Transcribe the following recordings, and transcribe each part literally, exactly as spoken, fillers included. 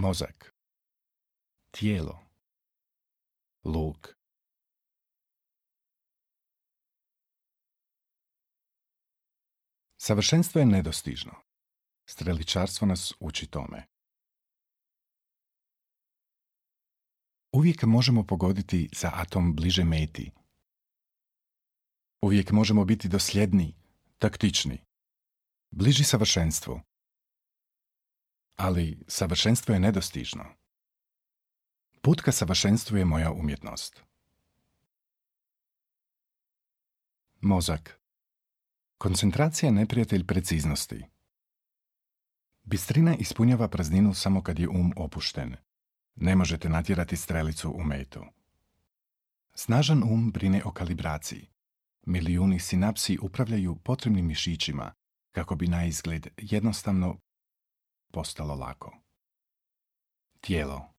Mozak. Tijelo. Luk. Savršenstvo je nedostižno. Streličarstvo nas uči tome. Uvijek možemo pogoditi za atom bliže meti. Uvijek možemo biti dosljedni, taktični, bliži savršenstvu. Ali savršenstvo je nedostižno. Put ka savršenstvu je moja umjetnost. Mozak. Koncentracija je neprijatelj preciznosti. Bistrina ispunjava prazninu samo kad je um opušten. Ne možete natjerati strelicu u metu. Snažan um brine o kalibraciji. Milijuni sinapsi upravljaju potrebnim mišićima kako bi na izgled jednostavno postalo lako. Tijelo.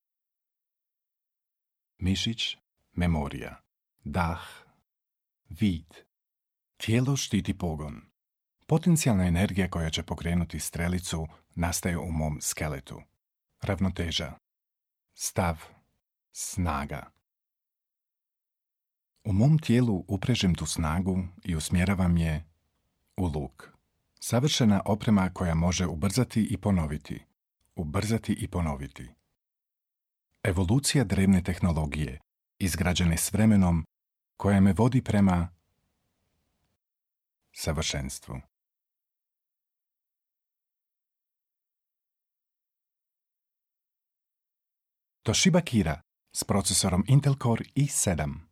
Mišić, memorija, dah, vid. Tijelo štiti pogon. Potencijalna energija koja će pokrenuti strelicu nastaje u mom skeletu. Ravnoteža. Stav. Snaga. U mom tijelu uprežem tu snagu i usmjeravam je u luk. Savršena oprema koja može ubrzati i ponoviti. Ubrzati i ponoviti. Evolucija drevne tehnologije, izgrađene s vremenom, koja me vodi prema savršenstvu. Toshiba Kira s procesorom Intel Core i sedam.